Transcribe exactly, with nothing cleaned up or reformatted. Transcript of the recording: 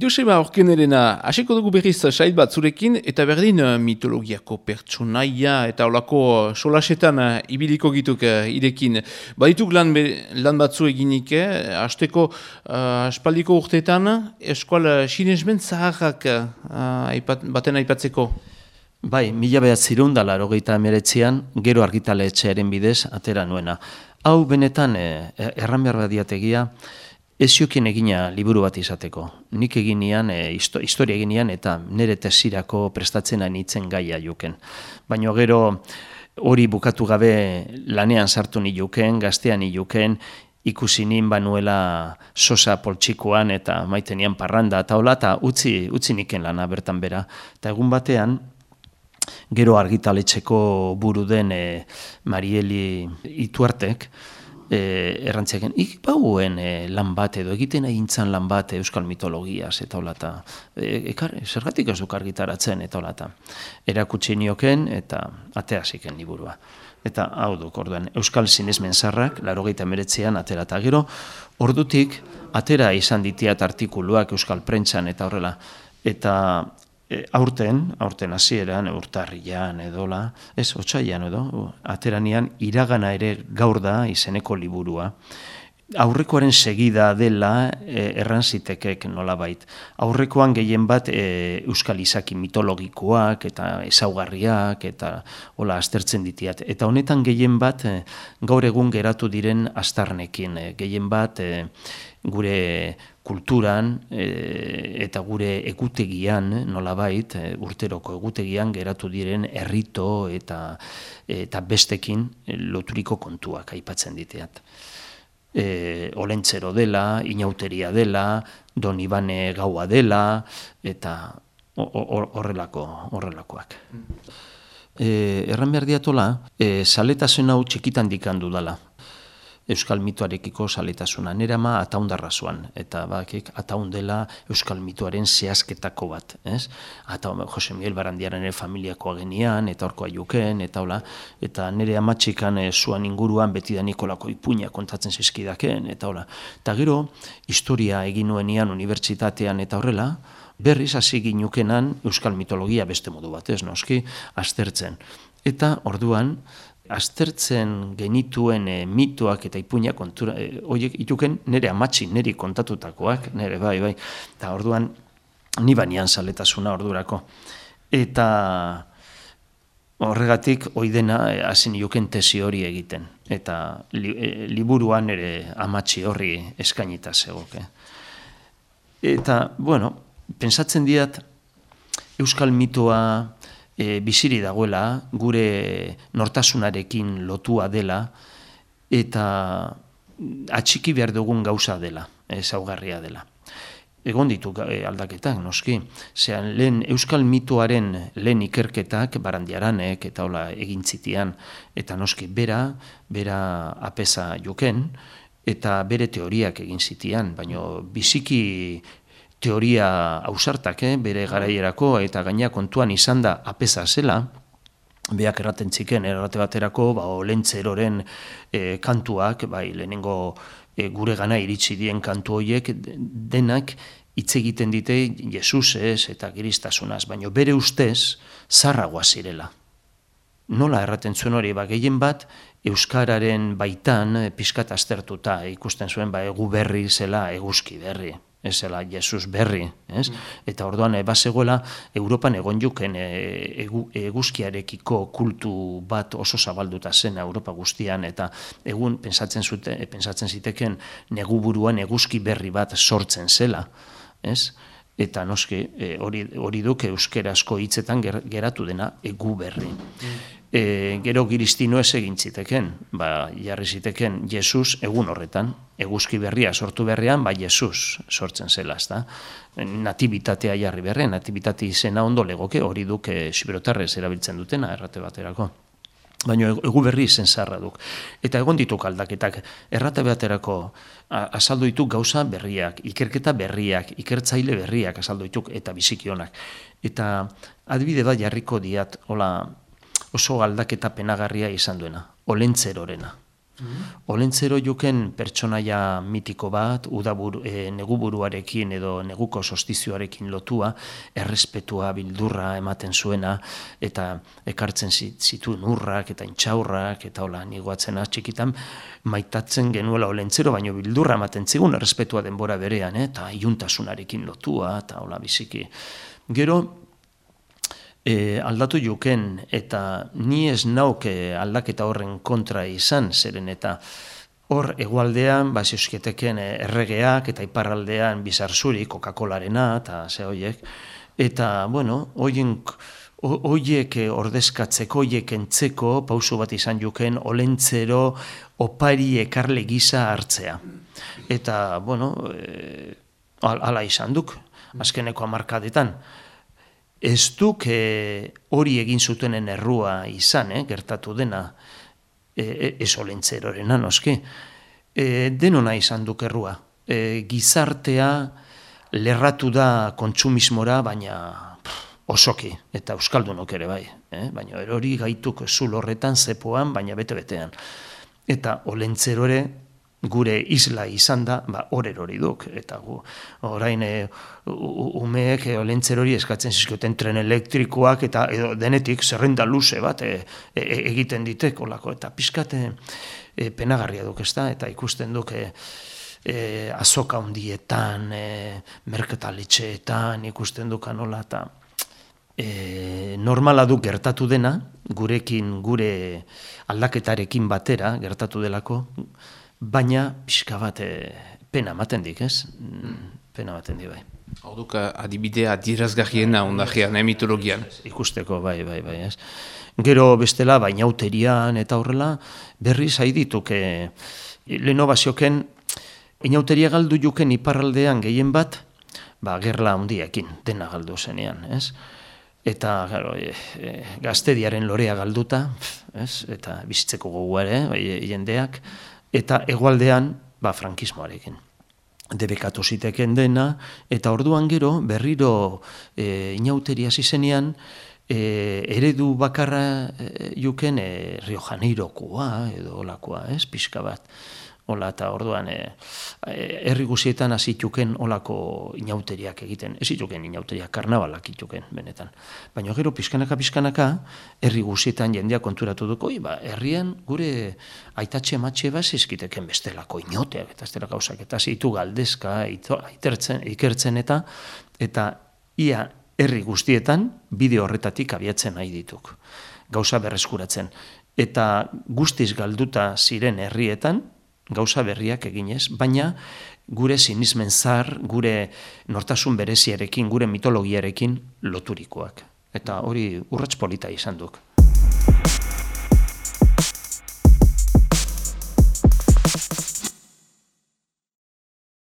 Joseba Orkenerena, hasiko dugu berriz sait bat zurekin, eta berdin mitologiako pertsonaia eta olako solasetan ibiliko gituk irekin. Badituk lan, lan batzu eginik, eh? Azteko uh, aspaldiko urteetan, eskual sinesmen zaharrak uh, aipat, baten aipatzeko. Bai, mila behatzireun da laurogeita hemeretzian, gero argitaletxearen bidez atera nuena. Hau benetan eh, erran behar badiategia, eziokien egina liburu bat izateko. Nik eginean, e, historia eginean eta nire tesirako prestatzen anitzen gaia juken. Baina gero hori bukatu gabe lanean sartu niluken, gaztean niluken, ikusi nin banuela sosa poltsikoan eta maitenian parranda eta hola, eta utzi, utzi niken lana bertan bera. Eta egun batean, gero argitaletxeko buru den e, Marieli Ituartek, E, errantziaken, ikpauen e, lan bat edo egiten egintzan lan bat euskal mitologiaz eta holata. E, zergatik ez duk argitaratzen eta holata. Erakutsi nioken eta atea ziken liburua. Eta hau duk, orduan, euskal sinesmen zarrak, laurogeita hemeretzian atera eta gero, ordutik atera izan ditiat artikuluak euskal prentsan eta horrela. Eta aurten, aurten hasieran, urtarrian edola, ez, otsaian edo, ateranian iragana ere gaur da izeneko liburua. Aurrekoaren segida dela e, erran zitekek nolabait. Aurrekoan gehien bat e, euskal izaki mitologikoak eta ezaugarriak eta hola aztertzen ditiat. Eta honetan gehien bat e, gaur egun geratu diren astarnekin. E, gehien bat e, gure kulturan e, eta gure egutegian nolabait e, urteroko egutegian geratu diren errito eta, eta bestekin e, loturiko kontuak aipatzen diteat. E, olentzero dela, inauteria dela, Don Ibane gaua dela, eta horrelako, horrelakoak. E, erran behar diatola, e, saletasun hau txikitan dikandu dala. Euskal mitoarekiko saletasuna. Nera ma ataundarra zuan, eta bakik ataundela euskal mitoaren zehazketako bat. Ez? Ata Jose Miguel Barandiaren familiakoa genian, eta horkoa juken, eta hola, eta nire amatxikan e, zuan inguruan beti da Nikolako ipuina kontatzen zizkidaken, eta hola. Eta gero, historia egin nuenian unibertsitatean eta horrela, berriz hasi ginukenan euskal mitologia beste modu bat, ez noski, aztertzen. Eta orduan, aztertzen genituen e, mitoak eta ipuinak kontura, e, oiek ituken nire amatxi, niri kontatutakoak, nire bai, bai, eta orduan ni banian saletasuna ordurako. Eta horregatik oidena hasi nioken tesi hori egiten, eta li, e, liburuan nire amatxi horri eskainita zegoke. Eta, bueno, pentsatzen diat euskal mitoa E, biziri dagoela, gure nortasunarekin lotua dela, eta atxiki behar dugun gauza dela, ezaugarria dela. Egon ditu e, aldaketak, noski. Zean, lehen euskal mitoaren lehen ikerketak, Barandiaranek eta hola egintzitian, eta noski bera, bera apesa joken, eta bere teoriak egin zitian, baina biziki teoria ausartak, eh, bere garaierako, eta gaina kontuan izan da apesa zela, beak erraten txiken, errate baterako, ba, olentzeroren e, kantuak, bai, lehenengo e, gure gana iritsi dien kantu horiek, denak hitz egiten dite Jesusez eta Kristasunaz, baina bere ustez zarragoa zirela. Nola erraten zuen hori, ba, gehien bat, euskararen baitan pixkat aztertuta, ikusten zuen, ba, egu berri zela eguzki berri. Ez zela Jesus berri, ez? Eta orduan bazegoela Europan egon juken egu, eguzkiarekiko kultu bat oso zabalduta zen Europa guztian, eta egun pensatzen zute, pensatzen ziteken neguburuan eguzki berri bat sortzen zela, ez? Eta noski hori hori duk euskerazko hitzetan ger, geratu dena egu berri. E, gero giristino ez egin ziteken, ba, jarri ziteken Jesus egun horretan, eguzki berria sortu berrean, ba, Jesus sortzen zela, ezta? Natibitatea jarri berrean, natibitate izena ondo legoke, hori duk e, siberotarrez erabiltzen dutena, errate baterako. Baina egu berri izen zarra duk. Eta egon dituk aldaketak, errate baterako azaldu dituk gauza berriak, ikerketa berriak, ikertzaile berriak azaldu dituk, eta bizikionak. Eta adibide bat jarriko diat, hola, oso aldaketa penagarria izan duena, olentzerorena. Olentzero juken pertsonaia mitiko bat, udaburu, e, neguburuarekin edo neguko sostizioarekin lotua, errespetua, bildurra ematen zuena, eta ekartzen zituen urrak eta intxaurrak, eta hola, nigoatzen txikitan, maitatzen genuela Olentzero, baino bildurra ematen zigun, errespetua denbora berean, eh, eta iuntasunarekin lotua, eta hola biziki. Gero, E, aldatu juken, eta ni ez nauke aldaketa horren kontra izan, zeren eta hor egualdean, ba, zeusketeken erregeak, eta iparraldean bizarzuri, Coca-Colarena, eta ze hoiek, eta, bueno, hoiek, hoiek ordezkatzeko, hoiek entzeko, pausu bat izan juken, Olentzero opari ekarle gisa hartzea. Eta, bueno, e, ala izan duk, azkeneko hamarkadetan. Ez duk e, hori egin zutenen errua izan, eh, gertatu dena, e, ez Olentzerorena noski. E, denona izan duk errua. E, gizartea lerratu da kontsumismora, baina pff, osoki, eta euskaldunok ere bai. Eh? Baina hori gaituk zul horretan, zepoan, baina bete-betean. Eta Olentzero ere, gure isla izan da, ba, horrer hori duk, eta gu, orain e, umeek e, Olentzerori eskatzen zizkioten tren elektrikoak, eta edo denetik zerrenda luze bat e, e, egiten ditek, olako, eta pixkate e, penagarria duk ez da, eta ikusten duk e, e, azoka hundietan, e, merketaletxeetan, ikusten duk anola, eta e, normala duk gertatu dena, gurekin, gure aldaketarekin batera gertatu delako, baina pixka bat e, pena ematen dik, ez? Pena ematen dik, bai. Hau duk adibidea dirazgarriena ondajean, eh, mitologian. Ikusteko, bai, bai, bai, ez? Gero bestela, bainauterian eta horrela, berriz haidituk, e, leheno bazioken, inauteria galdu juken iparraldean gehien bat, ba, gerla handiekin, dena galdu zenean, ez? Eta, claro, e, e, gaztediaren lorea galduta, ez? Eta bizitzeko goguare, bai, jendeak, eta hegoaldean, ba, frankismoarekin. Debekatu ziteken dena, eta orduan gero, berriro e, inauteria zizenean, e, eredu bakarra e, juken e, Rio Janeirokoa, edo olakoa, ez, pixka bat. Ola, eta orduan, e, herri guzietan azituken olako inauteriak egiten. Ez ituken inauteriak, karnabalak ituken, benetan. Baina gero, pizkanaka-pizkanaka, herri guzietan jendea konturatu duko, ba, herrian gure aitatxe matxe bat zizkiteken bestelako inoteak, eta bestela gauzak, eta zitu galdezka, itertzen, ikertzen eta, eta ia herri guztietan, bideo horretatik abiatzen nahi dituk. Gauza berreskuratzen. Eta guztiz galduta ziren herrietan, gauza berriak eginez, baina gure sinismen zar, gure nortasun bereziarekin, gure mitologiarekin loturikoak. Eta hori urrats polita izan duk.